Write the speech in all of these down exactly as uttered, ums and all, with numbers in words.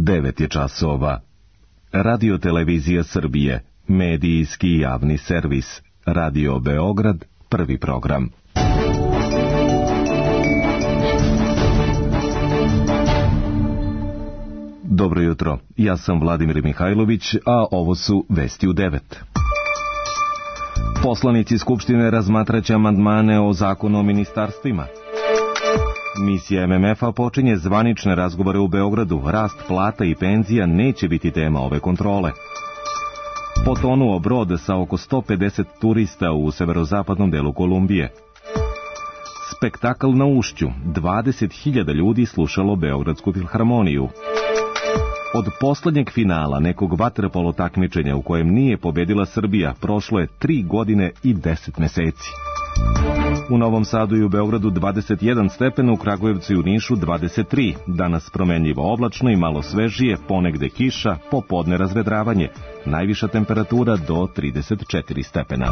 devet je časova. Radio Televizija Srbije, medijski javni servis. Radio Beograd, prvi program. Dobro jutro, ja sam Vladimir Mihajlović, a ovo su Vesti u devet. Poslanici Skupštine razmatraće amandmane o zakonu o ministarstvima. Misija M M F-a počinje zvanične razgovore u Beogradu. Rast plata i penzija neće biti tema ove kontrole. Potonuo brod sa oko sto pedeset turista u severozapadnom delu Kolumbije. Spektakl na Ušću. dvadeset hiljada ljudi slušalo Beogradsku filharmoniju. Od poslednjeg finala nekog vaterpolo takmičenja u kojem nije pobedila Srbija prošlo je tri godine i deset meseci. U Novom Sadu i u Beogradu dvadeset jedan stepena, u Kragujevcu i u Nišu dvadeset tri. Danas promenljivo oblačno i malo svežije, ponegde kiša, popodne razvedravanje. Najviša temperatura do trideset četiri stepena.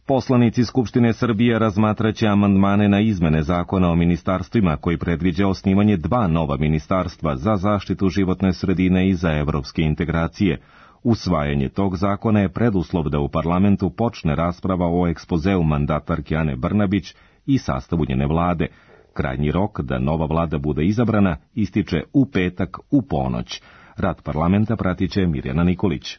Poslanici Skupštine Srbije razmatraće amandmane na izmene zakona o ministarstvima koji predviđa osnivanje dva nova ministarstva za zaštitu životne sredine i za evropske integracije. Usvajanje tog zakona je preduslov da u parlamentu počne rasprava o ekspozeu mandatarke Ane Brnabić i sastavu njene vlade. Krajnji rok da nova vlada bude izabrana ističe u petak u ponoć. Rad parlamenta pratit će Mirjana Nikolić.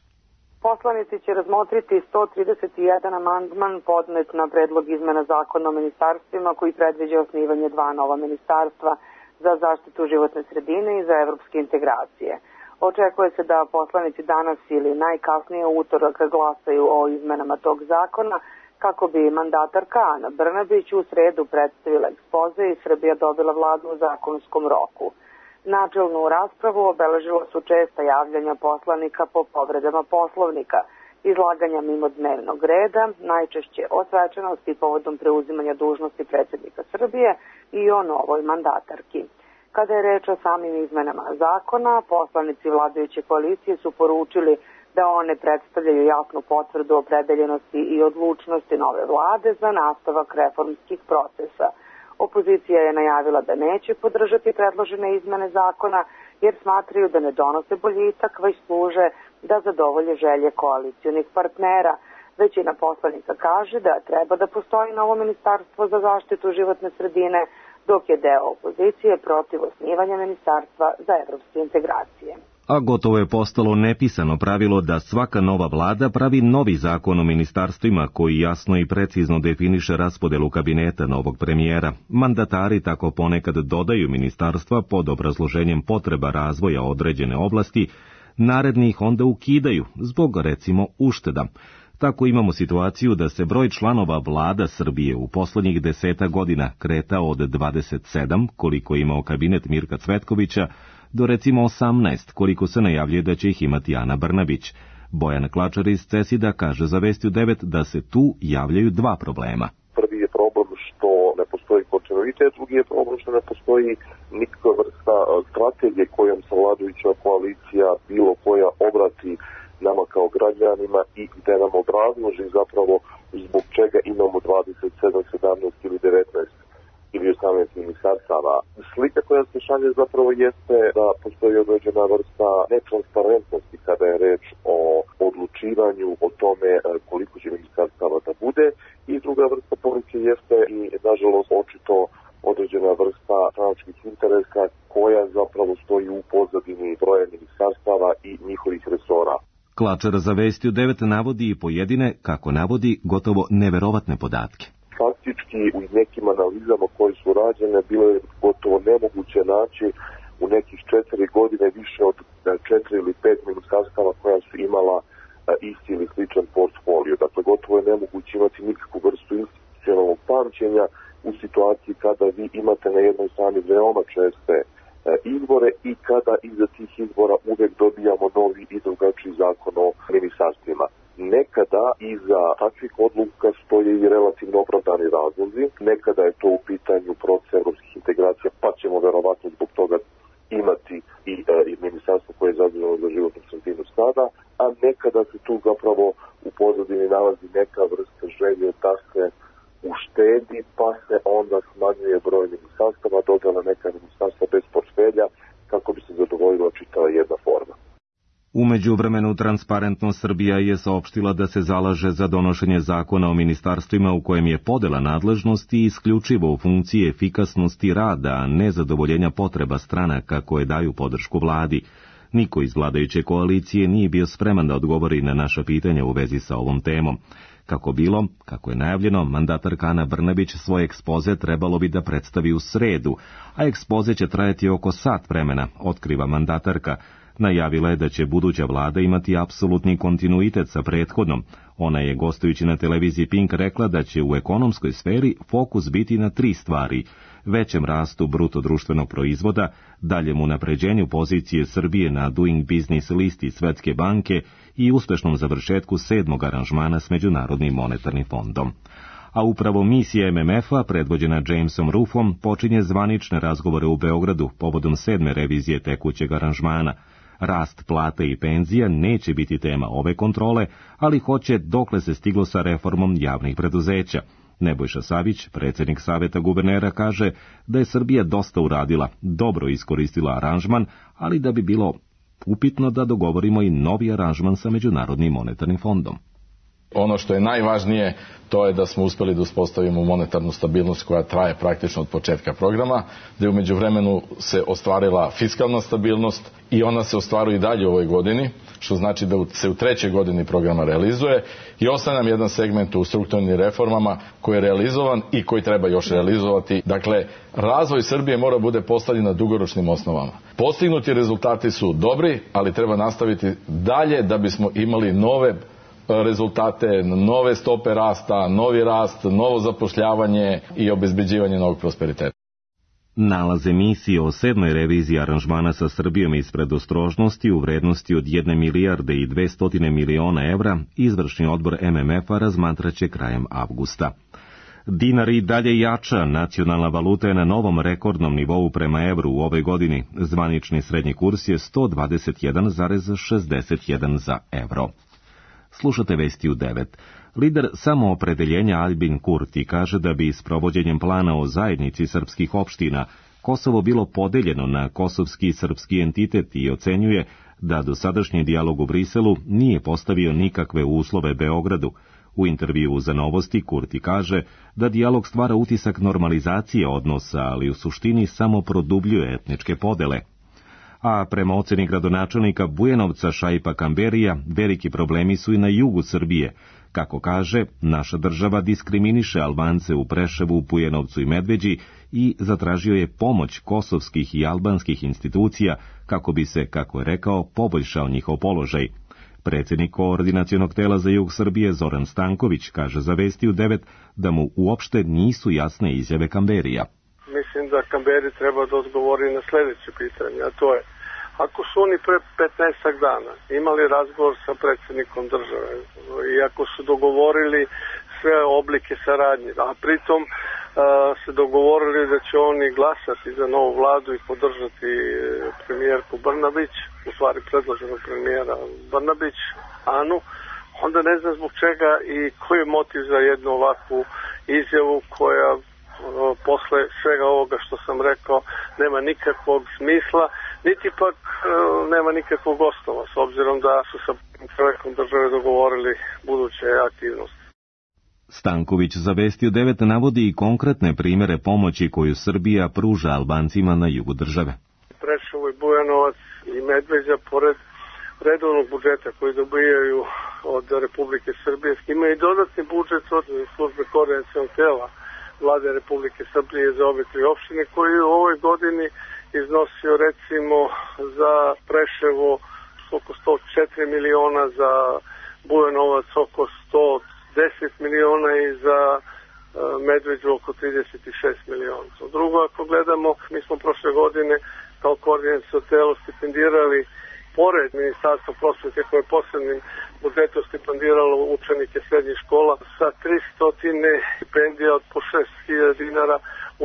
Poslanici će razmotriti sto trideset jedan amandman podnet na predlog izmena zakona o ministarstvima koji predviđa osnivanje dva nova ministarstva za zaštitu životne sredine i za evropske integracije. Očekuje se da poslanici danas ili najkasnije u utorak glasaju o izmenama tog zakona kako bi mandatarka Ana Brnabić u sredu predstavila ekspoze i Srbija dobila vladu u zakonskom roku. Načelnu raspravu obeležila su česta javljanja poslanika po povredama Poslovnika, izlaganja mimo dnevnog reda, najčešće o svečanosti povodom preuzimanja dužnosti predsjednika Srbije i o novoj mandatarki. Kada je reč o samim izmenama zakona, poslanici vladajuće koalicije su poručili da one predstavljaju jasnu potvrdu opredeljenosti i odlučnosti nove vlade za nastavak reformskih procesa. Opozicija je najavila da neće podržati predložene izmene zakona jer smatraju da ne donose boljitak, već služe da zadovolje želje koalicionih partnera. Većina poslanika kaže da treba da postoji novo ministarstvo za zaštitu životne sredine, dok je deo opozicije protiv osnivanja ministarstva za evropske integracije. A gotovo je postalo nepisano pravilo da svaka nova vlada pravi novi zakon o ministarstvima koji jasno i precizno definiše raspodelu kabineta novog premijera. Mandatari tako ponekad dodaju ministarstva pod obrazloženjem potreba razvoja određene oblasti, naredni ih onda ukidaju zbog, recimo, ušteda. Tako imamo situaciju da se broj članova vlada Srbije u poslednjih deseta godina kretao od dvadeset sedam, koliko je imao kabinet Mirka Cvetkovića, do recimo osamnaest, koliko se najavljuje da će ih imati Ana Brnabić. Bojan Klačar iz Cesida kaže za Vesti u devet da se tu javljaju dva problema. Prvi je problem što ne postoji kontinuitet, drugi je problem što ne postoji nikakva vrsta strategije kojom se vladajuća koalicija bilo koja obrati nama kao građanima i gde nam obrazloži zapravo zbog čega imamo dvadeset sedam, sedamnaest ili devetnaest ili osamnaest ministarstava. Slika koja se šalje zapravo jeste da postoji određena vrsta netransparentnosti kada je reč o odlučivanju o tome koliko će ministarstava da bude, i druga vrsta poruke jeste i nažalost očito određena vrsta stranačkih interesa koja zapravo stoji u pozadini broja ministarstava i njihovih resora. Klačar za Vesti u devet navodi i pojedine, kako navodi, gotovo neverovatne podatke. Faktički u nekim analizama koje su rađene bilo je gotovo nemoguće naći u nekih četiri godine više od četiri ili pet ministarstava koja su imala isti ili sličan portfolio. Dakle, gotovo je nemoguće imati nikakvu vrstu institucionalnog pamćenja u situaciji kada vi imate na jednoj strani veoma česte izbore i kada iza tih izbora uvek dobijamo novi i drugačiji zakon o ministarstvima. Nekada iza takvih odluka stoje i relativno opravdani razlozi, nekada je to u pitanju proces evropskih integracija, pa ćemo verovatno zbog toga imati i, e, i ministarstvo koje je zaduženo za životnu sredinu sada, a nekada se tu zapravo u pozadini nalazi neka vrsta želje da se uštedi, pa se onda smanjuje broj ministarstava, dodala neka ministarstva bez portfelja, U međuvremenu Transparentnost Srbija je saopštila da se zalaže za donošenje zakona o ministarstvima u kojem je podela nadležnosti isključivo u funkciji efikasnosti rada, a ne zadovoljenja potreba stranaka koje daju podršku vladi. Niko iz vladajuće koalicije nije bio spreman da odgovori na naša pitanja u vezi sa ovom temom. Kako bilo, kako je najavljeno, mandatarka Ana Brnabić svoj ekspoze trebalo bi da predstavi u sredu, a ekspoze će trajati oko sat vremena, otkriva mandatarka. Najavila je da će buduća vlada imati apsolutni kontinuitet sa prethodnom. Ona je, gostujući na televiziji Pink, rekla da će u ekonomskoj sferi fokus biti na tri stvari: većem rastu bruto društvenog proizvoda, daljem unapređenju pozicije Srbije na Doing Business listi Svetske banke i uspešnom završetku sedmog aranžmana s Međunarodnim monetarnim fondom. A upravo misija M M F-a, predvođena Jamesom Ruffom, počinje zvanične razgovore u Beogradu povodom sedme revizije tekućeg aranžmana. Rast plata i penzija neće biti tema ove kontrole, ali hoće dokle se stiglo sa reformom javnih preduzeća. Nebojša Savić, predsjednik Saveta guvernera, kaže da je Srbija dosta uradila, dobro iskoristila aranžman, ali da bi bilo upitno da dogovorimo i novi aranžman sa Međunarodnim monetarnim fondom. Ono što je najvažnije, to je da smo uspjeli da uspostavimo monetarnu stabilnost koja traje praktično od početka programa, da je u međuvremenu se ostvarila fiskalna stabilnost i ona se ostvaruje i dalje u ovoj godini, što znači da se u trećoj godini programa realizuje, i ostaje nam jedan segment u strukturnim reformama koji je realizovan i koji treba još realizovati. Dakle, razvoj Srbije mora bude postavljen na dugoročnim osnovama. Postignuti rezultati su dobri, ali treba nastaviti dalje da bismo imali nove rezultate, nove stope rasta, novi rast, novo zapošljavanje i obezbeđivanje novog prosperiteta. Nalaze misije o sedmoj reviziji aranžmana sa Srbijom iz predostrožnosti u vrednosti od jedne milijarde i dvestotine miliona evra izvršni odbor M M F-a razmatraće krajem avgusta. Dinar i dalje jača, nacionalna valuta je na novom rekordnom nivou prema evru u ovoj godini. Zvanični srednji kurs je sto dvadeset jedan zarez šezdeset jedan za evro. Slušate vesti u devet. Lider samoopredeljenja Albin Kurti kaže da bi s provođenjem plana o zajednici srpskih opština Kosovo bilo podeljeno na kosovski i srpski entitet i ocenjuje da dosadašnji dijalog u Briselu nije postavio nikakve uslove Beogradu. U intervjuu za Novosti Kurti kaže da dijalog stvara utisak normalizacije odnosa, ali u suštini samo produbljuje etničke podele. A prema oceni gradonačelnika Bujanovca Šaipa Kamberija, veliki problemi su i na jugu Srbije. Kako kaže, naša država diskriminiše Albance u Preševu, Bujanovcu i Medveđi i zatražio je pomoć kosovskih i albanskih institucija kako bi se, kako je rekao, poboljšao njihov položaj. Predsjednik koordinacionog tela za jug Srbije Zoran Stanković kaže za Vesti u devet da mu uopšte nisu jasne izjave Kamberija. Mislim da Kamberi treba da odgovori na sljedeće pitanje, a to je: ako su oni pre petnaestak dana imali razgovor sa predsjednikom države i ako su dogovorili sve oblike saradnje, a pritom uh, se dogovorili da će oni glasati za novu vladu i podržati premijerku Brnabić, u stvari predloženog premijera Brnabić, Anu, onda ne znam zbog čega i koji je motiv za jednu ovakvu izjavu koja posle svega ovoga što sam rekao nema nikakvog smisla, niti pak e, nema nikakvog osnova, s obzirom da su sa čovjekom države dogovorili buduće aktivnosti. Stanković za Vesti u devet navodi i konkretne primjere pomoći koju Srbija pruža Albancima na jugu države. Preševo i Bujanovac i Medveđa, pored redovnog budžeta koji dobijaju od Republike Srbije, imaju i dodatni budžet od službe koordinacionog tela Vlade Republike Srbije za obe tri opštine, koji u ovoj godini iznosio recimo za Preševo oko sto četiri miliona, za Bujanovac oko sto deset miliona i za Medveđu oko trideset šest miliona. Drugo, ako gledamo, mi smo prošle godine kao koordinaciono telo stipendirali, pored Ministarstva prosvete koje je posebnim budžetom stipendiralo učenike srednjih škola, sa tristo stipendija od po šest hiljada dinara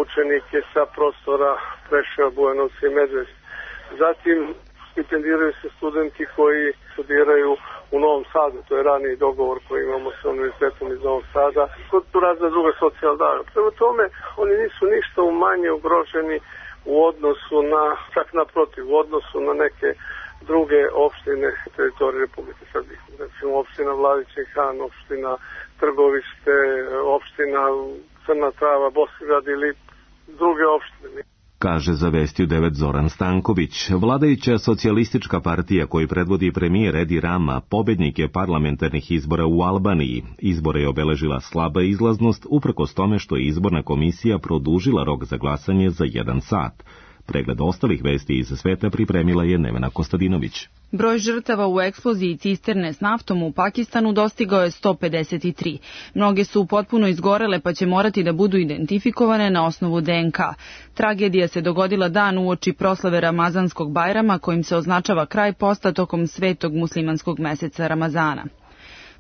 učenike sa prostora Preševa, Bujanovca i Medveđe. Zatim stipendiraju se studenti koji studiraju u Novom Sadu, to je raniji dogovor koji imamo sa Univerzitetom iz Novog Sada, kod razna druga socijalna davanja. Prema tome, oni nisu ništa manje ugroženi u odnosu na, čak naprotiv, u odnosu na neke druge opštine teritorije Republike Srbije. Recimo opština Vladičin Han, opština Trgovište, opština Crna Trava, Bosigrad ili druge opštine. Kaže za Vesti u devet Zoran Stanković. Vladajuća socijalistička partija koju predvodi premijer Edi Rama pobednik je parlamentarnih izbora u Albaniji. Izbore je obeležila slaba izlaznost uprkos tome što je izborna komisija produžila rok za glasanje za jedan sat. Pregled ostalih vesti iz sveta pripremila je Nevena Kostadinović. Broj žrtava u eksploziji cisterne s naftom u Pakistanu dostigao je sto pedeset tri. Mnoge su potpuno izgorele pa će morati da budu identifikovane na osnovu de en ka. Tragedija se dogodila dan uoči proslave Ramazanskog Bajrama kojim se označava kraj posta tokom svetog muslimanskog meseca Ramazana.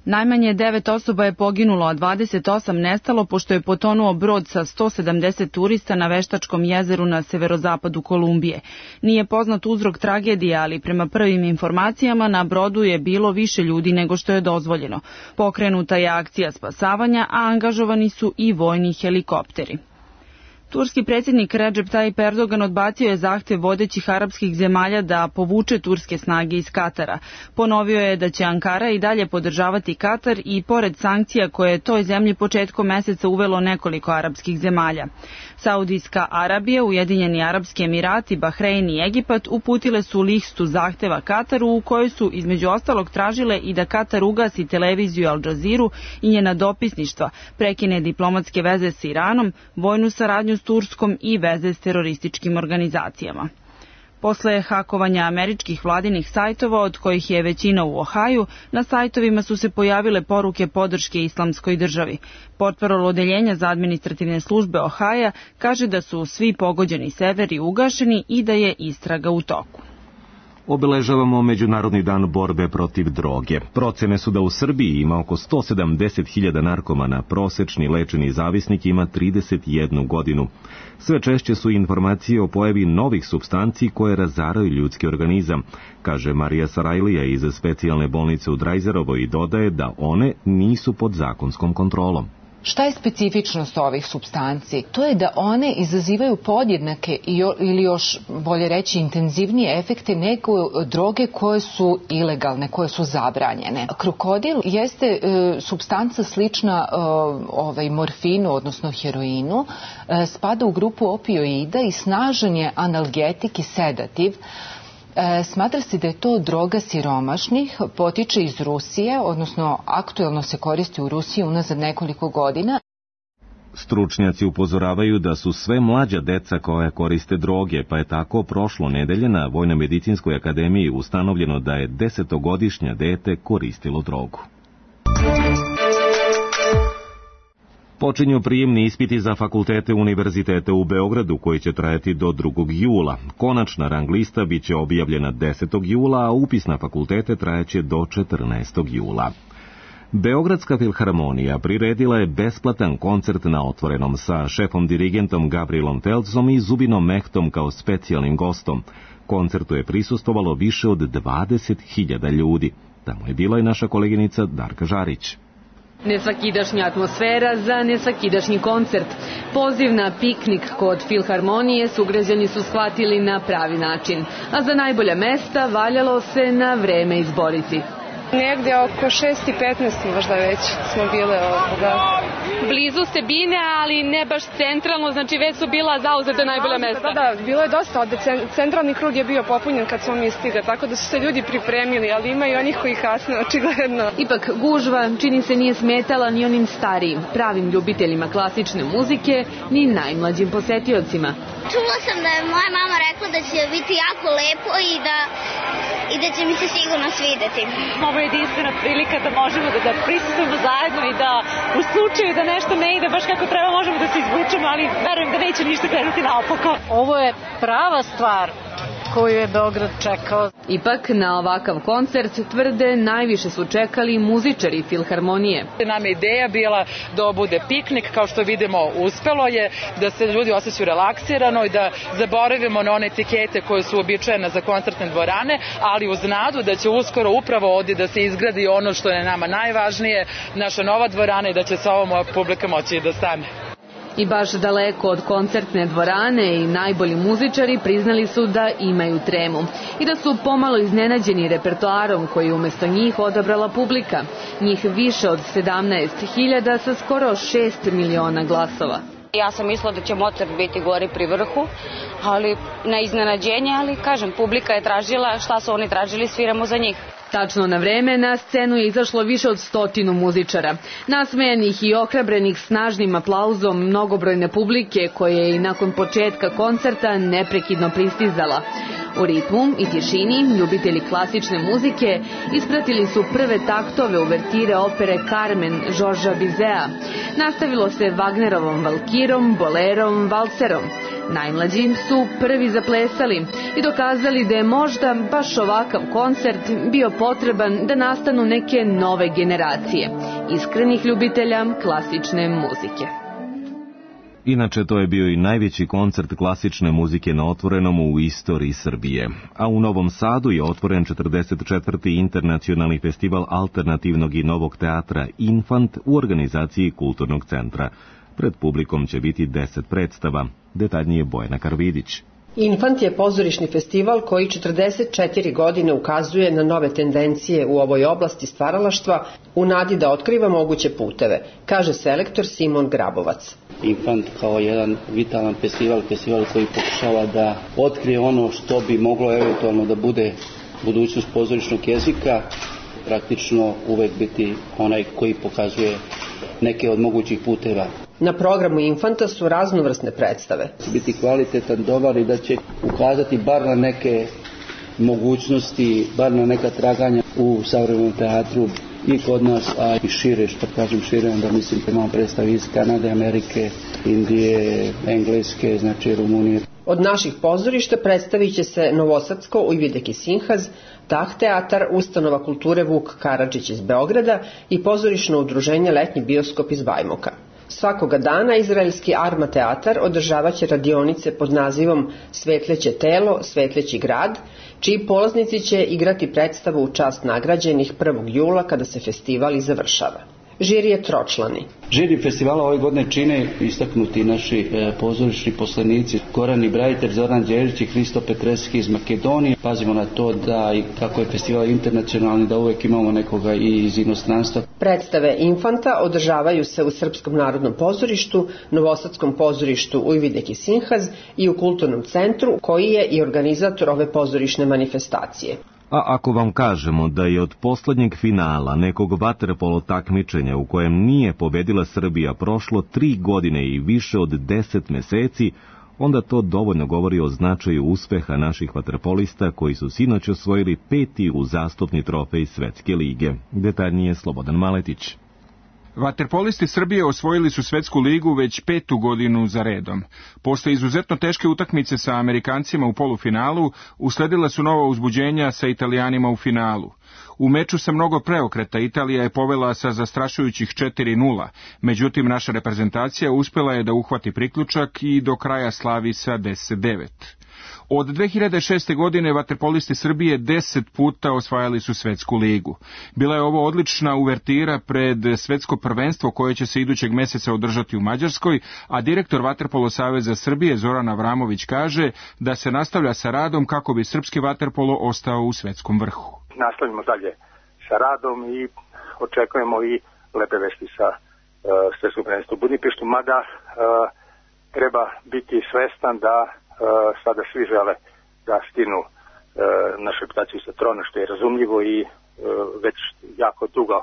Najmanje devet osoba je poginulo, a dvadeset osam nestalo pošto je potonuo brod sa sto sedamdeset turista na Veštačkom jezeru na severozapadu Kolumbije. Nije poznat uzrok tragedije, ali prema prvim informacijama na brodu je bilo više ljudi nego što je dozvoljeno. Pokrenuta je akcija spasavanja, a angažovani su i vojni helikopteri. Turski predsjednik Recep Tayyip Erdogan odbacio je zahtev vodećih arapskih zemalja da povuče turske snage iz Katara. Ponovio je da će Ankara i dalje podržavati Katar i pored sankcija koje je toj zemlji početkom meseca uvelo nekoliko arapskih zemalja. Saudijska Arabija, Ujedinjeni Arapski Emirati, Bahrein i Egipat uputile su listu zahteva Kataru u kojoj su između ostalog tražile i da Katar ugasi televiziju Al Jazeeru i njena dopisništva, prekine diplomatske veze s Iranom, vojnu saradnju s Turskom i veze s terorističkim organizacijama. Posle hakovanja američkih vladinih sajtova, od kojih je većina u Ohaju, na sajtovima su se pojavile poruke podrške islamskoj državi. Portparol odeljenja za administrativne službe Ohaja kaže da su svi pogođeni severi ugašeni i da je istraga u toku. Obeležavamo Međunarodni dan borbe protiv droge. Procene su da u Srbiji ima oko sto sedamdeset hiljada narkomana, prosečni lečeni zavisnik ima trideset jednu godinu. Sve češće su informacije o pojavi novih supstanci koje razaraju ljudski organizam, kaže Marija Sarajlija iz specijalne bolnice u Drajzerovoj i dodaje da one nisu pod zakonskom kontrolom. Šta je specifičnost ovih supstanci? To je da one izazivaju podjednake ili još bolje reći intenzivnije efekte nego droge koje su ilegalne, koje su zabranjene. Krokodil jeste e, supstanca slična e, ovaj, morfinu, odnosno heroinu, e, spada u grupu opioida i snažan je analgetik i sedativ. Smatra se da je to droga siromašnih, potiče iz Rusije, odnosno aktuelno se koristi u Rusiji unazad nekoliko godina. Stručnjaci upozoravaju da su sve mlađa deca koja koriste droge, pa je tako prošlo nedelje na Vojno-medicinskoj akademiji ustanovljeno da je desetogodišnja dete koristilo drogu. Počinju prijemni ispiti za fakultete univerziteta u Beogradu koji će trajati do drugog jula. Konačna rang lista biće objavljena desetog jula, a upis na fakultete trajaće do četrnaestog jula. Beogradska filharmonija priredila je besplatan koncert na otvorenom sa šefom dirigentom Gabrielom Telcom i Zubinom Mehtom kao specijalnim gostom. Koncertu je prisustvovalo više od dvadeset hiljada ljudi. Tamo je bila i naša koleginica Darka Žarić. Nesvakidašnja atmosfera za nesvakidašnji koncert. Poziv na piknik kod filharmonije sugrađani su shvatili na pravi način, a za najbolja mesta valjalo se na vreme izboriti. Negde oko šest i petnaest možda već smo bile ovoga. Blizu se bine, ali ne baš centralno, znači već su bila zauzeta najbolja mesta. Da, da, bilo je dosta, ovde centralni krug je bio popunjen kad smo mi stigli, tako da su se ljudi pripremili, ali ima i onih koji kasne, očigledno. Ipak gužva čini se nije smetala ni onim starijim, pravim ljubiteljima klasične muzike, ni najmlađim posetiocima. Čula sam da je moja mama rekla da će biti jako lepo i da, i da će mi se sigurno svideti. Ovo je jedinstvena prilika da možemo da, da prisustujemo zajedno i da u slučaju da nešto ne ide baš kako treba možemo da se izvučemo, ali verujem da neće ništa krenuti naopako. Ovo je prava stvar koju je Beograd čekao. Ipak na ovakav koncert, tvrde, najviše su čekali muzičari filharmonije. Nam je ideja bila da bude piknik, kao što vidimo uspelo je, da se ljudi osjećaju relaksirano i da zaboravimo na one etikete koje su uobičajene za koncertne dvorane, ali uz nadu da će uskoro upravo ovdje da se izgradi ono što je nama najvažnije, naša nova dvorana i da će sa ovom publika moći da stane. I baš daleko od koncertne dvorane i najbolji muzičari priznali su da imaju tremu i da su pomalo iznenađeni repertoarom koji umjesto njih odabrala publika. Njih više od sedamnaest hiljada sa skoro šest miliona glasova. Ja sam mislila da će Mozart biti gori pri vrhu, ali na iznenađenje, ali kažem, publika je tražila, šta su oni tražili, sviramo za njih. Tačno na vreme na scenu je izašlo više od stotinu muzičara. Nasmejanih i ohrabrenih snažnim aplauzom mnogobrojne publike koje je i nakon početka koncerta neprekidno pristizala. U ritmu i tišini ljubitelji klasične muzike ispratili su prve taktove uvertire opere Carmen Žorža Bizea. Nastavilo se Wagnerovom valkirom, bolerom, valserom. Najmlađi su prvi zaplesali i dokazali da je možda baš ovakav koncert bio potreban da nastanu neke nove generacije iskrenih ljubitelja klasične muzike. Inače, to je bio i najveći koncert klasične muzike na otvorenom u istoriji Srbije. A u Novom Sadu je otvoren četrdeset četvrti internacionalni festival alternativnog i novog teatra Infant u organizaciji Kulturnog centra. Pred publikom će biti deset predstava. Detaljnije Bojana Karvidić. Infant je pozorišni festival koji četrdeset četiri godine ukazuje na nove tendencije u ovoj oblasti stvaralaštva u nadi da otkriva moguće puteve, kaže selektor Simon Grabovac. Infant kao jedan vitalan festival, festival koji pokušava da otkrije ono što bi moglo eventualno da bude budućnost pozorišnog jezika, praktično uvek biti onaj koji pokazuje neke od mogućih puteva. Na programu Infanta su raznovrsne predstave. Biti kvalitetan, dobar i da će ukazati bar na neke mogućnosti, bar na neka traganja u savremenom teatru i kod nas, a i šire, što kažem šire, onda mislim da imamo predstavi iz Kanade, Amerike, Indije, Engleske, znači Rumunije. Od naših pozorišta predstavit će se Novosadsko Ujvidek i Sinhaz, Tah teatar, Ustanova kulture Vuk Karadžić iz Beograda i pozorišno udruženje Letnji bioskop iz Bajmoka. Svakoga dana izraelski Arma teatar održavaće radionice pod nazivom Svetleće telo, Svetleći grad, čiji polaznici će igrati predstavu u čast nagrađenih prvog jula kada se festival i završava. Žiri je tročlani. Žiri festivala ove godine čine istaknuti naši e, pozorišni poslanici Goran Ibrahiter, Zoran Đerić i Hristo Petreski iz Makedonije. Pazimo na to da i kako je festival internacionalni, da uvek imamo nekoga i iz inostranstva. Predstave Infanta održavaju se u Srpskom narodnom pozorištu, Novosadskom pozorištu Ujvidek i Sinhaz i u Kulturnom centru, koji je i organizator ove pozorišne manifestacije. A ako vam kažemo da je od poslednjeg finala nekog vaterpolo takmičenja u kojem nije pobedila Srbija prošlo tri godine i više od deset meseci, onda to dovoljno govori o značaju uspeha naših vaterpolista koji su sinoć osvojili peti uzastopni trofej Svetske lige. Detaljnije Slobodan Maletić. Vaterpolisti Srbije osvojili su Svetsku ligu već petu godinu za redom. Posle izuzetno teške utakmice sa Amerikancima u polufinalu, usledila su nova uzbuđenja sa Italijanima u finalu. U meču sa mnogo preokreta Italija je povela sa zastrašujućih četiri nula, međutim naša reprezentacija uspela je da uhvati priključak i do kraja slavi sa deset devet. Od dve hiljade šeste. godine vaterpolisti Srbije deset puta osvajali su Svetsku ligu. Bila je ovo odlična uvertira pred svetsko prvenstvo koje će se idućeg meseca održati u Mađarskoj, a direktor Vaterpolo saveza Srbije Zoran Avramović kaže da se nastavlja sa radom kako bi srpski vaterpolo ostao u svetskom vrhu. Nastavljamo dalje sa radom i očekujemo i lepe vesti sa uh, svetskom prvenstvom u Budimpeštu, mada uh, treba biti svestan da Uh, sada svi žele da stinu uh, našu reputaciju sa trona, što je razumljivo i uh, već jako dugo,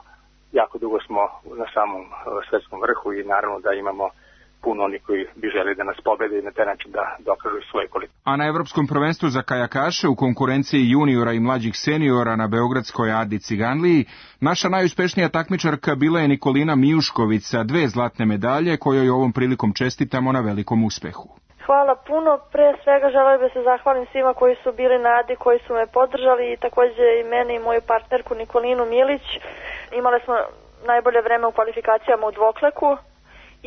jako dugo smo na samom uh, svetskom vrhu i naravno da imamo puno oni koji bi želi da nas pobede i na taj način da dokažu svoje kvalitete. A na Evropskom prvenstvu za kajakaše u konkurenciji juniora i mlađih seniora na beogradskoj Adi Ciganliji, naša najuspešnija takmičarka bila je Nikolina Mijušković sa dve zlatne medalje kojoj ovom prilikom čestitamo na velikom uspehu. Hvala puno. Pre svega želim da se zahvalim svima koji su bili na Adi, koji su me podržali i takođe i mene i moju partnerku Nikolinu Milić. Imali smo najbolje vreme u kvalifikacijama u dvokleku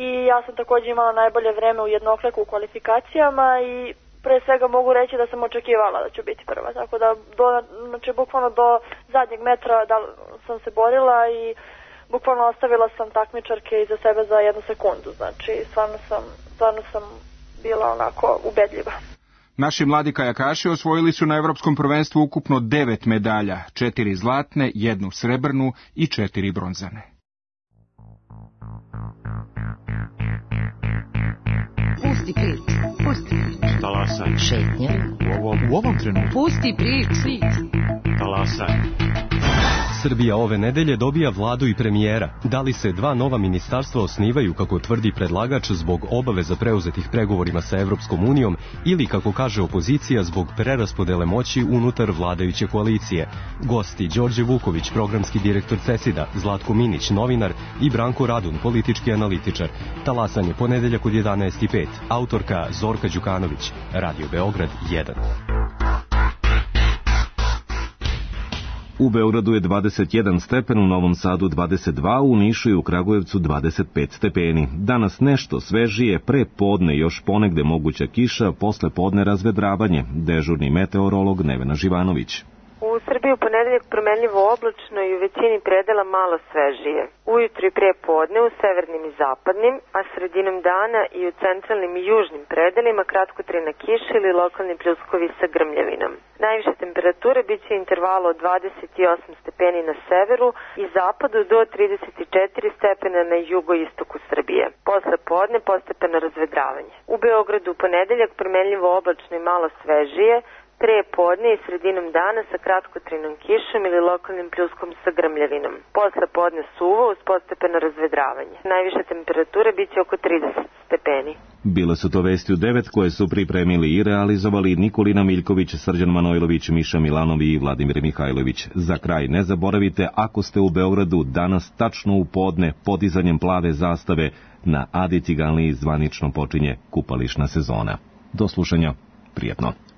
i ja sam takođe imala najbolje vreme u jednokleku u kvalifikacijama i pre svega mogu reći da sam očekivala da ću biti prva. Tako da do, znači, bukvalno do zadnjeg metra da sam se borila i bukvalno ostavila sam takmičarke iza sebe za jednu sekundu, znači stvarno sam, stvarno sam bila onako ubedljiva. Naši mladi kajakaši osvojili su na Evropskom prvenstvu ukupno devet medalja, četiri zlatne, jednu srebrnu i četiri bronzane. Pusti priču, pusti priču. Talasaj. Šetnja. U ovom, u ovom trenutku. Pusti priču. Talasaj. Srbija ove nedelje dobija vladu i premijera. Da li se dva nova ministarstva osnivaju, kako tvrdi predlagač, zbog obaveza preuzetih pregovorima sa Evropskom unijom ili, kako kaže opozicija, zbog preraspodele moći unutar vladajuće koalicije? Gosti Đorđe Vuković, programski direktor CESID-a, Zlatko Minić, novinar, i Branko Radun, politički analitičar. Talasanje ponedeljak od jedanaest i pet. Autorka Zorka Đukanović. Radio Beograd jedan. U Beogradu je dvadeset jedan stepen, u Novom Sadu dvadeset dva, u Nišu i u Kragujevcu dvadeset pet stepeni. Danas nešto svežije, pre podne još ponegde moguća kiša, posle podne razvedravanje. Dežurni meteorolog Nevena Živanović. U Srbiji u ponedeljak promenljivo oblačno i u većini predela malo svežije. Ujutru i pre podne u severnim i zapadnim, a sredinom dana i u centralnim i južnim predelima kratkotrajna kiša ili lokalni pljuskovi sa grmljavinom. Najviše temperature biće intervalo od dvadeset osam stepeni na severu i zapadu do trideset četiri stepena na jugoistoku Srbije. Posle podne postepeno razvedravanje. U Beogradu u ponedeljak promenljivo oblačno i malo svežije, pre podne i sredinom dana sa kratkotrajnom kišom ili lokalnim pljuskom sa grmljavinom. Posle podne suvo uz postepeno razvedravanje. Najviše temperature biće oko trideset stepeni. Bile su to vesti u devet koje su pripremili i realizovali Nikolina Miljković, Srđan Manojlović, Miša Milanovi i Vladimir Mihajlović. Za kraj ne zaboravite, ako ste u Beogradu danas tačno u podne podizanjem plave zastave na Adi Ciganliji zvanično počinje kupališna sezona. Do slušanja, prijetno.